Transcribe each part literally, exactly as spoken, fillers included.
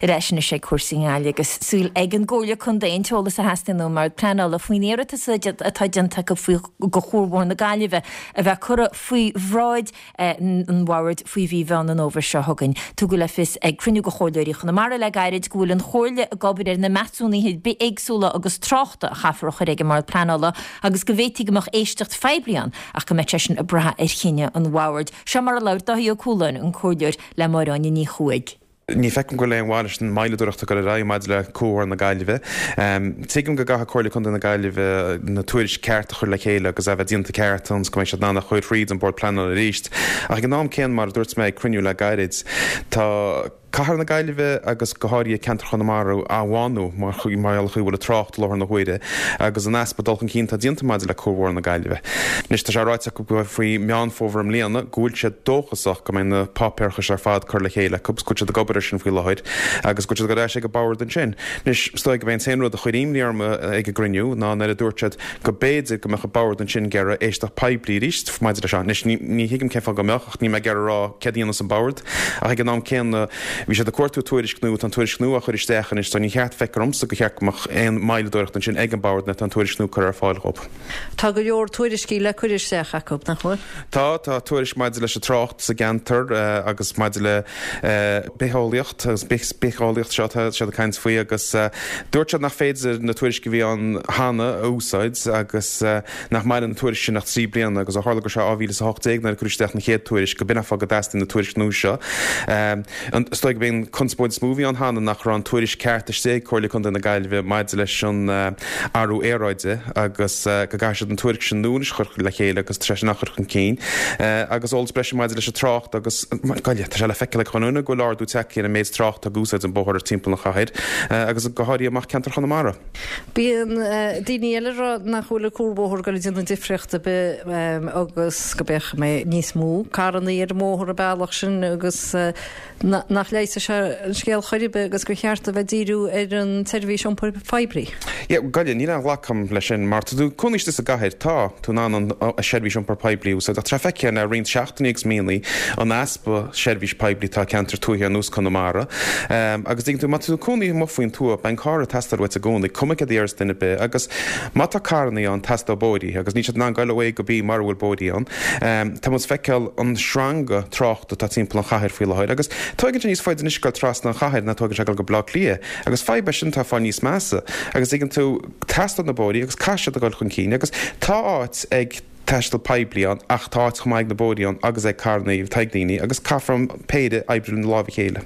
Ar ais anois ag cúrsaí i nGaillimh agus súil ag an gComhairle Contae an t-eolas a theastaíonn ón mBord Pleanála faoin iarratas atá déanta acu faoi go Chuarbhóthar na Gaillimhe a bheith curtha faoi bhráid an bhoird faoi mhí Mheán an Fhómhair seo chugainn. Tugadh le fios ag cruinniú de chomhairleoirí Chonamara le gairid go bhfuil an Chomhairle ag obair ar na measúnuithe bithéagsúla agus tráchta a chaithfear a chur ag an mBord Pleanála agus go bhféadfaí go mbeadh éisteacht phoiblí ann ach go mbeadh sé sin ag brath ar chinneadh an bhoird. Seo mar a labhair Dáithí Ó Cualáin, an comhairleoir le Máire Áine Ní Chuaig. Ní feicim go bhfuil aon mhaith leis an moilleadóireacht a chur ar aghaidh maidir le Cuarbhóthar na Gaillimhe. Tuigim go gcaithfidh Comhairle Contae na Gaillimhe na tuairisc ceart a chur le chéile agus a bheith déanta ceart ionas go mbeidh siad in ann a chur thríd an Bord Pleanála arís. Ach ag an am céanna, mar a dúirt mé ag cruinniú le gairid, tá Cathair na Gaillimhe agus go háirithe ceantar Chonamara á bhánú mar gheall ar an chaoi a bhfuil an trácht i láthair na huaire agus an easpa dul chun cinn atá déanta maidir le Cuarbhóthar na Gaillimhe. Anois tá sé ráite acu go faoi Meán Fómhair i mbliana go bhfuil siad dóchasach go mbeidh na páipéarachais ar fad curtha le chéile acu agus go bhfuil siad ag obair air sin faoi láthair agus go bhfuil siad ag dul ar ais ag an bord ansin. Anois is dóigh go b'é an t-aon rud a chuir imní orm ag an gcruinniú ná nuair a dúirt siad go b'fhéidir go mbeadh an bord ansin ag iarraidh éisteacht poiblí arís maidir leis seo. Anois ní thuigim cén fáth go mbeadh ach níl mé ag iarraidh a rá céard a dhéanfas an bord ach ag an am céanna Bhí siad ag cuartú tuairisc nua, tá an tuairisc nua á chur isteach anois, so ní cheart, feictear domsa go cheart go mbeadh aon moilleadóireacht ansin ag an bord nuair atá an tuairisc nua curtha ar fáil dhóibh. Tá go leor tuairiscí le cur isteach acu, nach bhfuil? Tá, tá tuairisc maidir leis an trácht sa gceantar agus maidir le bitheolaíocht agus bitheolaíocht seo atá siad ag caint faoi agus dúirt siad nach féidir na tuairiscí a bhí ann cheana a úsáid agus nach maireann an tuairisc sin ach trí bliana agus ó tharla go raibh sé dhá mhíle is a hocht déag nuair a cuireadh isteach an chéad tuairisc go b'in an fáth go dteastaíonn na tuairisc nua seo. Is dóigh gurb é an conspóid is mó a bhí ann cheana nach raibh an tuairisc ceart istigh ag Comhairle Contae na Gaillimhe maidir leis an athrú aeráide agus go gcaithfidh siad an tuairisc sin nua anois a chur le chéile agus tá sé sin á chur chun cinn agus eolas breise maidir leis an trácht agus Gaillimh. Tá sé le feiceáil ag chuile dhuine go bhfuil ardú tagtha ar an méid tráchta ag úsáid an bóthar timpeall an chathair agus go háirithe amach ceantar Chonamara. Bíonn daoine eile ag rá nach bhfuil an cuarbhóthar ag dul a dhéanamh difríocht ar bith agus go mbeidh níos mó carrannaí ar an mbóthar an bealach sin agus nach leigheasfaidh sé an scéal chor ar bith agus gur cheart a bheith ag díriú ar an tseirbhís iompair phoiblí. Yeah, Gaillimh, níl aon ghlacadh agam leis sin mar tá tú cónaí istigh sa gcathair, tá tú in ann an seirbhís iompair poiblí a úsáid ach tá sé feicthe le roinnt seachtainí agus míonna an easpa seirbhís poiblí atá i gceantar tuaithe ar nós Conamara. Agus tuigeann tú, má tá tú cónaí amuigh faoin tuath, beidh an carr ag teastáil uait i gcónaí, cuma céard a deireas duine ar bith agus má tá carrannaí ann, teastóidh bóithrí agus níl siad in ann goil ó A go B mara bhfuil bóithrí ann. Tá muid ag feiceáil an sreanga tráchta atá timpeall an chathair faoi láthair agus tóigeann sé níos faide anois goil trasna an chathair ná tóigeann sé goil go Baile Átha Cliath agus fadhb é sin atá ag fáil níos measa agus tuigeann tú, teastóidh na bóithrí agus caithfidh siad a ghoil chun cinn agus tá áit ag taisteal poiblí ann ach tá áit chomh maith ag na bóithrí ann agus ag carrannaí atá ag daoine agus caithfear an péire oibriú le lámh a chéile.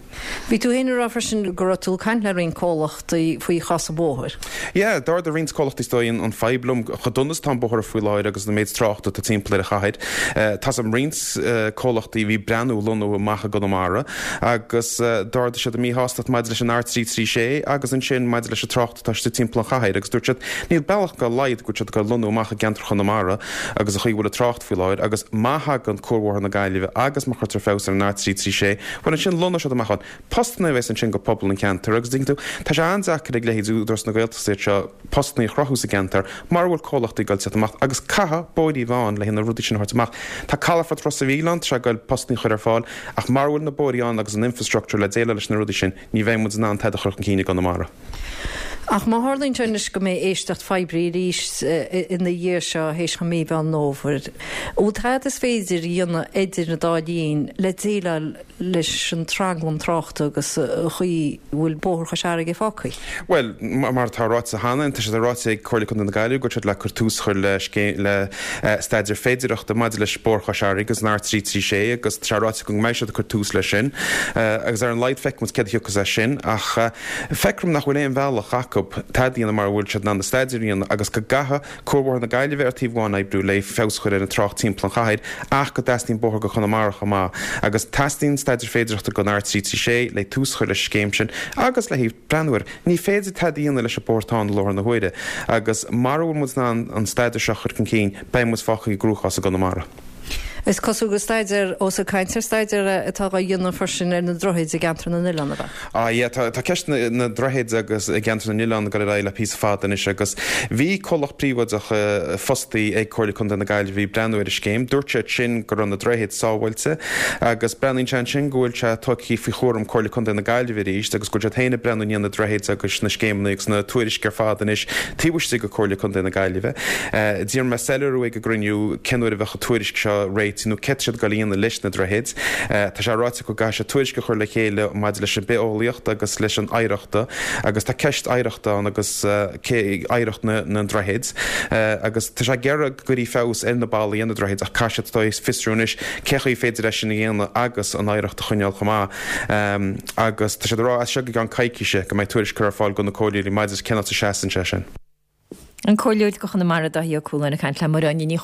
Bhí tú féin ag rá freisin go raibh tú ag caint le roinnt comhlachtaí faoi chás an bhóthair. Yeah, d'ardaigh roinnt comhlachtaí is dóigh an fadhb liom chomh dona is atá an bóthar faoi láthair agus an méid tráchta atá timpeall ar an chathair. Tá 's agam roinnt comhlachtaí a bhí ag breathnú lonnú amach i gConamara agus d'ardaigh siad a míshástacht maidir leis an R trí trí sé agus ansin maidir leis an trácht atá istigh timpeall an chathair agus dúirt siad níl bealach dá laghad go bhfuil siad ag dul lonnú amach i gceantar Chonamara agus an chaoi a bhfuil an trácht faoi láthair agus má thagann Cuarbhóthar na Gaillimhe agus má chuirtear feabhas ar an R trí trí sé bhuel ansin lonnóidh siad amach ann. Postanna a bheas ansin go pobal an cheantair agus tuigeann tú tá sé an-deacair ag leithéid Údarás na Gaeltachta iad seo postanna a chruthú sa gceantar mara bhfuil comhlachtaí ag dul teacht amach agus caithfidh bóithrí a bheith ann le na rudaí sin a thabhairt amach. Tá calafort Ros a' Mhíl ann, tá sé ag dul postanna a chur ar fáil ach mara bhfuil na bóithrí ann agus an infrastructure le déileáil leis na rudaí sin ní bheidh muid in ann tada a chur chun cinn i gConamara. Ach má tharlaíonn sé anois go mbeidh éisteacht phoiblí arís ina dhiaidh seo théis mhí Mheán Fhómhair, an bhfuil tada is féidir a dhéanamh idir an dá linn le déileáil leis an tranglam tráchta agus an chaoi a bhfuil Bóthar Chois Fharraige fágtha? Bhuel, mar atá ráite cheana, tá sé ráite ag Comhairle Contae na Gaillimhe go bhfuil siad le cur tús a chur le le staidéar féidearthachta maidir leis Bóthar Chois Fharraige agus an R trí trí sé agus tá sé ráite go mbeidh siad ag cur tús leis sin agus ar an laghad feicfidh muid céard a thiocfas as sin ach Feictear dom nach bhfuil aon bhealach acu tada a dhéanamh mara bhfuil siad in ann na staidéir a dhéanamh agus go gcaithfidh Cuarbhóthar na Gaillimhe ar taobh amháin oibriú le feabhas a chur ar an trácht timpeall an chathair ach go dteastaíonn bóthar go Conamara chomh maith agus teastaíonn staidéar féidearthachta don R trí trí sé le tús a chur leis an scéim sin agus le haghaidh breathnú air. Ní féidir tada a dhéanamh leis an bóthar atá ann i láthair na huaire agus mara bhfuil muid in ann an staidéar seo a chur chun cinn beidh muid fágtha i gcruachás i gConamara. Is cosúil go staidéar ós ag caint ar staidéar atá á dhéanamh freisin ar na droichid i gceantar na n-oileán ab ea? Ah yeah, tá tá ceist na na droichid agus i gceantar na n-oileán ag dul ar aghaidh le píosa fada anois agus bhí comhlacht príobháideach fostaí ag Comhairle Contae na Gaillimhe ag breathnú ar an scéim. Dúirt sé sin go raibh na droichid sábháilte agus breathnaíonn sé ansin go bhfuil sé tugtha faoi chúram Comhairle Contae na Gaillimhe arís agus go bhfuil siad féin ag breathnú i ndiaidh na droichid agus na scéimeanna agus na tuairisc ar fad anois taobh istigh de Comhairle Contae na Gaillimhe. D'iarr mé soiléiriú ag an gcruinniú cén uair a bheadh an tuairisc seo réitithe nó céard tá siad ag dul a dhéanamh leis na droichid. Tá sé ráite acu go gcaithfidh siad tuairisc a chur le chéile maidir leis an bithéolaíocht agus leis an oidhreacht agus tá ceist oidhreachta ann agus oidhreacht na ndroichid agus tá sé ag iarraidh go gcuirfí feabhas ar na ballaí ar na droichid ach caithfidh siad fiosrú anois cé chaoi féidir leis sin a dhéanamh agus an oidhreacht a choinneáil chomh maith agus tá siad ag rá as seo go gceann coicíse go mbeidh tuairisc curtha ar fáil do na comhairleoirí maidir cén áit a seasann sé sin. An Comhairleoir do Chonamara Dáithí Ó Cualáin ag caint le Máire Áine Ní